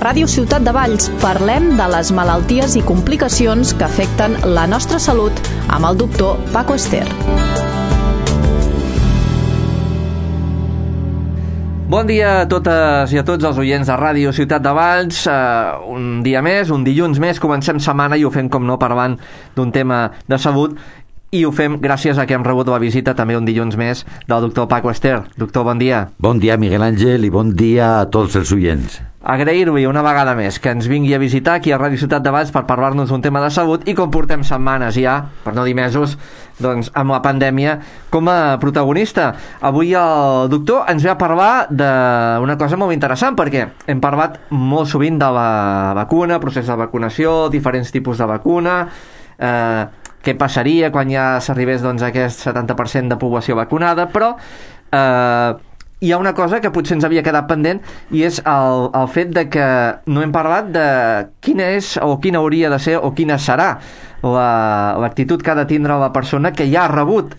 Ràdio Ciutat de Valls parlem de les malalties i complicacions que afecten la nostra salut amb el doctor Paco Ester. Bon dia a totes i a tots els oients de Ràdio Ciutat de Valls. Un dia més, un dilluns més, comencem setmana i ho fem, com no, parlant d'un tema de salut. I ho fem gràcies a que hem rebut la visita també un dilluns més del doctor Paco Ester. Doctor, bon dia. Bon dia, Miguel Àngel, i bon dia a tots els oients. Agrair-li una vegada més que ens vingui a visitar aquí a Ràdio Ciutat de Valls per parlar-nos d'un tema de salut, i com portem setmanes ja, per no dir mesos, doncs amb la pandèmia com a protagonista. Avui el doctor ens ve a parlar d'una cosa molt interessant, perquè hem parlat molt sovint de la vacuna, procés de vacunació, diferents tipus de vacuna, què passaria quan ja s'arribés doncs, a aquest 70% de població vacunada, però hi ha una cosa que potser ens havia quedat pendent, i és el fet de que no hem parlat de quina és o quina hauria de ser o quina serà l'actitud que ha de tindre la persona que ja ha rebut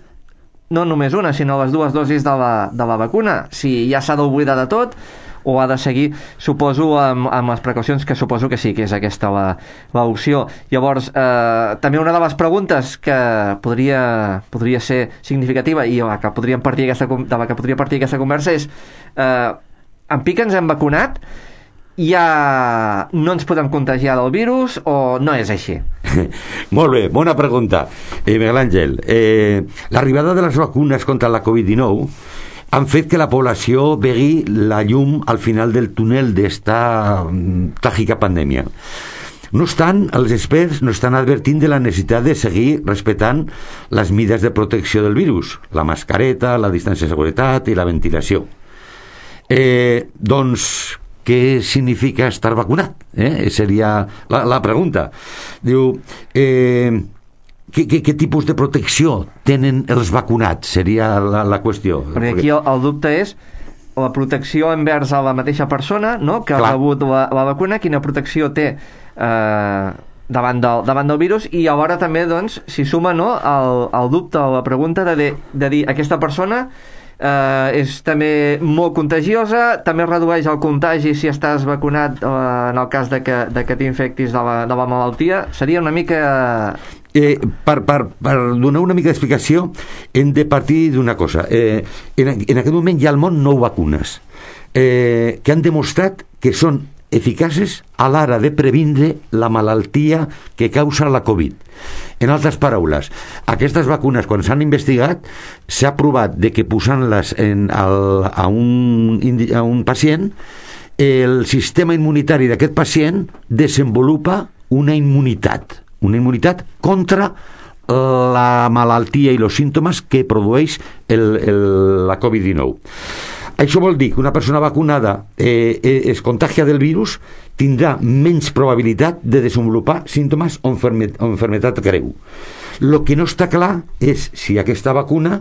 no només una, sinó les dues dosis de la vacuna. Si ja s'ha d'oblidar de tot o ha de seguir, suposo, amb les precaucions, que suposo que sí, que és aquesta l'opció. Llavors, també una de les preguntes que podria ser significativa i de la que podria partir aquesta conversa és en pic ens hem vacunat, ja no ens podem contagiar del virus o no és així? Molt bé, bona pregunta, Miguel Àngel. L'arribada de les vacunes contra la Covid-19 han fet que la població vegi la llum al final del túnel d'esta tràgica pandèmia. No obstant, els experts no estan advertint de la necessitat de seguir respectant les mides de protecció del virus, la mascareta, la distància de seguretat i la ventilació. Doncs, què significa estar vacunat? Seria la pregunta. Diu, què tipus de protecció tenen els vacunats? Seria la qüestió. Perquè aquí el dubte és la protecció envers a la mateixa persona, no?, que ha rebut la vacuna, quina protecció té davant del virus, i alhora també, doncs, s'hi suma, no, el dubte o la pregunta de dir aquesta persona és també molt contagiosa, també redueix el contagi si estàs vacunat en el cas de que t'infectis de la malaltia. Seria una mica... Per donar una mica d'explicació hem de partir d'una cosa. En aquest moment hi ha al món 9 vacunes que han demostrat que són eficaces a l'hora de previndre la malaltia que causa la Covid. En altres paraules, aquestes vacunes, quan s'han investigat, s'ha provat de que posant-les a un pacient, el sistema immunitari d'aquest pacient desenvolupa una immunitat contra la malaltia i els símptomes que produeix la Covid-19. Això vol dir que una persona vacunada es contagia del virus, tindrà menys probabilitat de desenvolupar símptomes o enfermetat greu. El que no està clar és si aquesta vacuna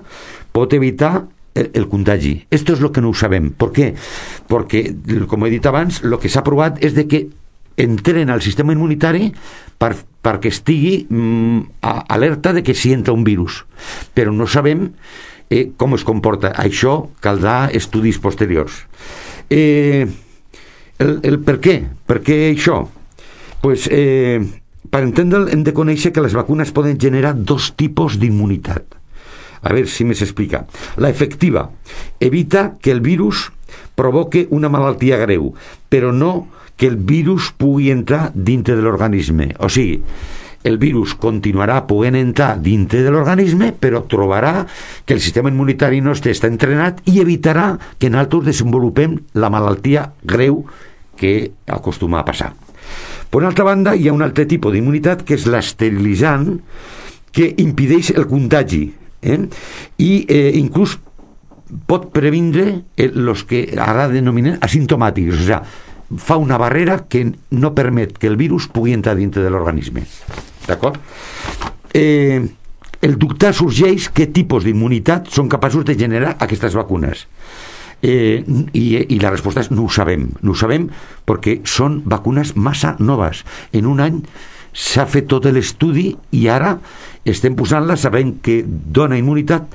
pot evitar el contagi. Esto es lo que no ho sabem. ¿Por qué? Porque, com he dit abans, el que s'ha provat és de que entren al sistema immunitari perquè estigui alerta de que s'hi entra un virus. Però no sabem com es comporta. Això caldrà estudis posteriors. El per què? Per què això? Pues, per entendre'l hem de conèixer que les vacunes poden generar 2 tipus d'immunitat. A veure si més explica. La efectiva evita que el virus provoque una malaltia greu, però no que el virus pugui entrar dintre de l'organisme. O sigui, el virus continuarà podent entrar dintre de l'organisme, però trobarà que el sistema immunitari nostre està entrenat i evitarà que nosaltres desenvolupem la malaltia greu que acostuma a passar. Per una altra banda, hi ha un altre tipus d'immunitat, que és l'esterilitzant, que impedeix el contagi, i inclús pot previndre els que ara denominen asimptomàtics, o sigui, fa una barrera que no permet que el virus pugui entrar dintre de l'organisme. D'acord? El dubte sorgeix què tipus d'immunitat són capaços de generar aquestes vacunes. I la resposta és no ho sabem perquè són vacunes massa noves. En un any s'ha fet tot l'estudi i ara estem posant-la sabent que dona immunitat,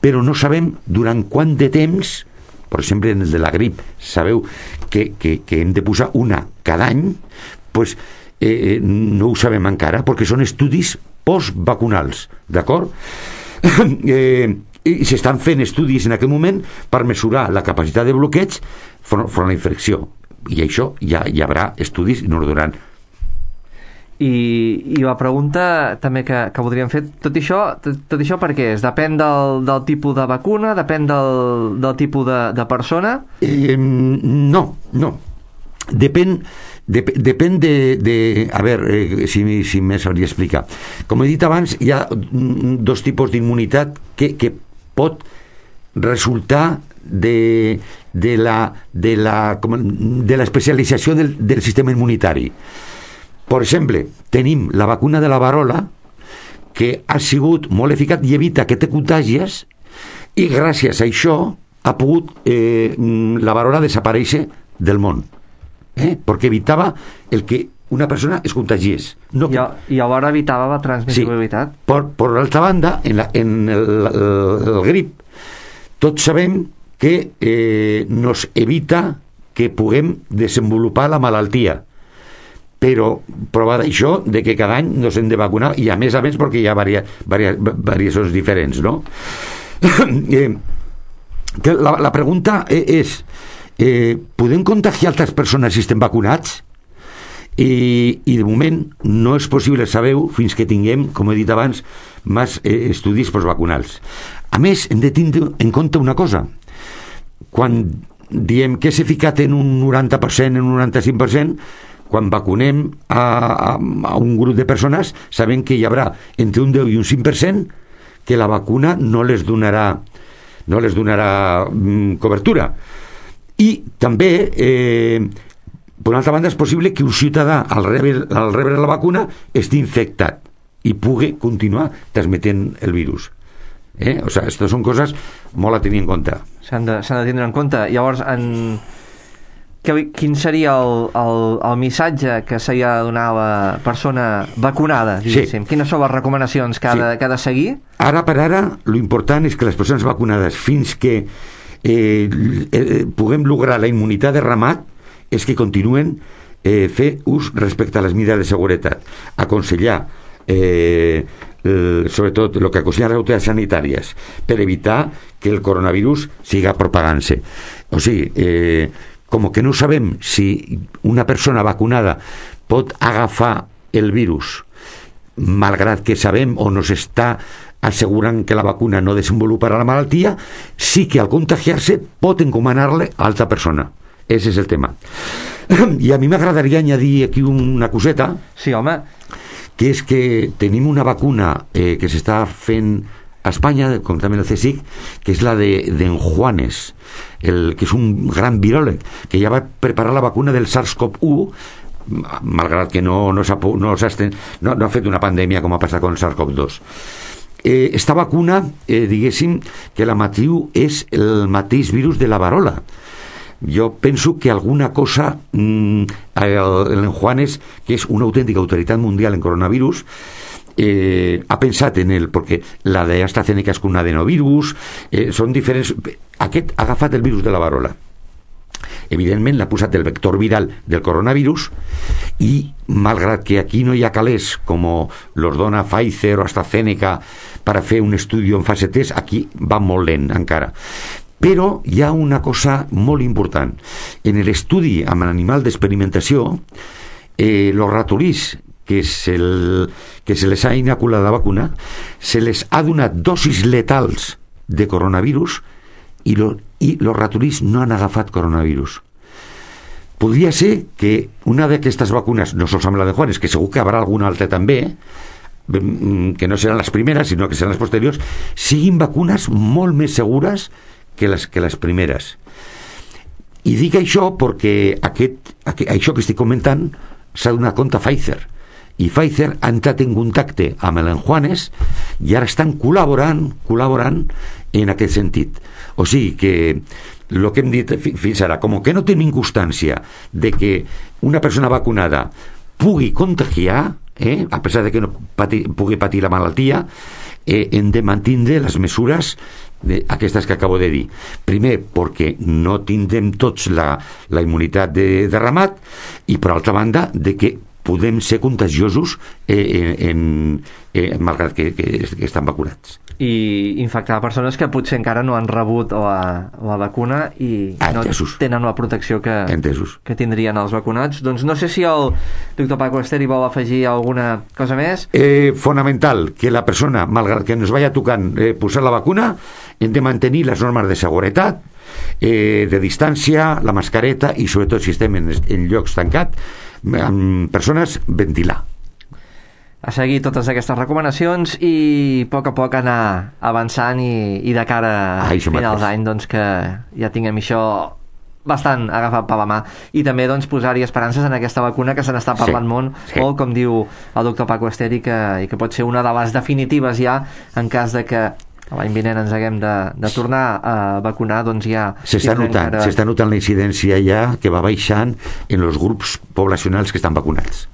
però no sabem durant quant de temps per exemple, en el de la grip, sabeu que hem de posar una cada any, pues, no ho sabem encara, perquè són estudis postvacunals, d'acord? I s'estan fent estudis en aquest moment per mesurar la capacitat de bloqueig front a la infecció, i això ja hi haurà estudis i no ho duran. I la pregunta també que voldríem fer, tot això per què és? Depèn del tipus de vacuna? Depèn del tipus de persona? No. Depèn de a veure, si me sabria explicar. Com he dit abans, hi ha dos tipus d'immunitat que pot resultar de l'especialització del sistema immunitari. Per exemple, tenim la vacuna de la varola, que ha sigut molt eficaç i evita que te contàgies, i gràcies a això ha pogut la varola desaparèixer del món, perquè evitava el que una persona es contagiés. No, I alhora evitava la transmissibilitat. Sí. Per l'altra banda, en el grip, tots sabem que nos evita que puguem desenvolupar la malaltia, però prova d'això de que cada any nos hem de vacunar, i a més perquè hi ha variacions diferents, no? La pregunta és, podem contagiar altres persones si estem vacunats? I de moment no és possible, sabeu, fins que tinguem, com he dit abans, més estudis postvacunals. A més, hem de tindre en compte una cosa. Quan diem que és eficat en un 90%, en un 95%, quan vacunem a un grup de persones, sabem que hi haurà entre un 10 i un 5% que la vacuna no les donarà cobertura. I també, per una altra banda, és possible que un ciutadà, al rebre la vacuna, estigui infectat i pugui continuar transmetent el virus. O sigui, aquestes són coses molt a tenir en compte. S'han de tindre en compte. Llavors, quin seria el missatge que s'ha de donar a la persona vacunada, diguéssim? Sí. Quines són les recomanacions que ha de seguir? Ara per ara, l'important és que les persones vacunades, fins que puguem lograr la immunitat de ramat, és que continuen fer ús respecte a les mesures de seguretat. Aconsellar sobretot el que aconsellen les autoritats sanitàries per evitar que el coronavirus siga propagant-se. O sigui, com que no sabem si una persona vacunada pot agafar el virus, malgrat que sabem o nos està assegurant que la vacuna no desenvoluparà la malaltia, sí que al contagiar-se pot encomanar-le a altra persona. Ese és el tema. I a mi m'agradaria añadir aquí una coseta. Sí, home. Que és que tenim una vacuna que s'està fent a Espanya, com també el CSIC, que és la d'en Juanes, que és un gran viròleg, que ja va preparar la vacuna del SARS-CoV-1, malgrat que no ha fet una pandèmia com ha passat amb el SARS-CoV-2. Esta vacuna, diguéssim, que la matriu és el mateix virus de la varola. Jo penso que alguna cosa en Juanes, que és una autèntica autoritat mundial en coronavirus, ha pensat en ell, perquè la d'AstraZeneca és un adenovirus, són diferents. Aquest ha agafat el virus de la varola, evidentment l'ha posat el vector viral del coronavirus, i malgrat que aquí no hi ha calés com los dona Pfizer o AstraZeneca per fer un estudi en fase 3, aquí va molt lent encara. Però hi ha una cosa molt important. En l'estudi amb l'animal d'experimentació, els ratolins que se les ha inoculat la vacuna, se les ha donat dosis letals de coronavirus i els ratolins no han agafat coronavirus. Podria ser que una d'aquestes vacunes, no sols amb la de Juanes, que segur que haurà alguna altra també, que no seran les primeres, sinó que seran les posteriors, siguin vacunes molt més segures que les primeres. I dic això perquè això que estic comentant s'ha donat compte Pfizer, i Pfizer ha entrat en contacte amb l'Enjuanes i ara estan col·laborant en aquest sentit. O sigui que el que hem dit fins ara, com que no tenim constància de que una persona vacunada pugui contagiar, a pesar de que no pugui patir la malaltia, hem de mantenir les mesures aquestes que acabo de dir. Primer, perquè no tindrem tots la immunitat de ramat, i per altra banda, de que podem ser contagiosos malgrat que estan vacunats. I infectar persones que potser encara no han rebut la vacuna i no tenen la protecció que tindrien els vacunats. Doncs no sé si el doctor Paco Ester hi vol afegir alguna cosa més. Fonamental que la persona, malgrat que ens vaya tocant posar la vacuna, hem de mantenir les normes de seguretat, de distància, la mascareta, i sobretot si estem en llocs tancats, amb persones, ventilar. A seguir totes aquestes recomanacions i a poc anar avançant i de cara a finals d'any, doncs, que ja tinguem això bastant agafat per la mà, i també doncs, posar-hi esperances en aquesta vacuna que se n'està parlant molt, com diu el doctor Paco Ester, i que pot ser una de les definitives ja, en cas de que l'any vinent ens haguem de tornar a vacunar, doncs ja... S'està notant la incidència ja que va baixant en els grups poblacionals que estan vacunats.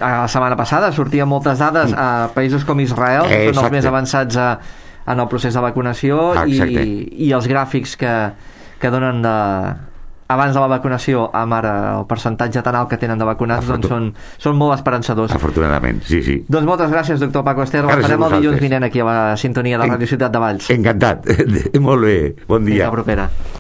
La setmana passada sortien moltes dades a països com Israel, que són els més avançats en el procés de vacunació, i els gràfics que donen abans de la vacunació amb ara el percentatge tan alt que tenen de vacunats, doncs són molt esperançadors. Afortunadament, sí. Doncs moltes gràcies, doctor Paco Ester. Farem el dilluns vinent aquí a la sintonia de Ràdio Ciutat de Valls. Encantat. Molt bé. Bon dia. Fins la propera.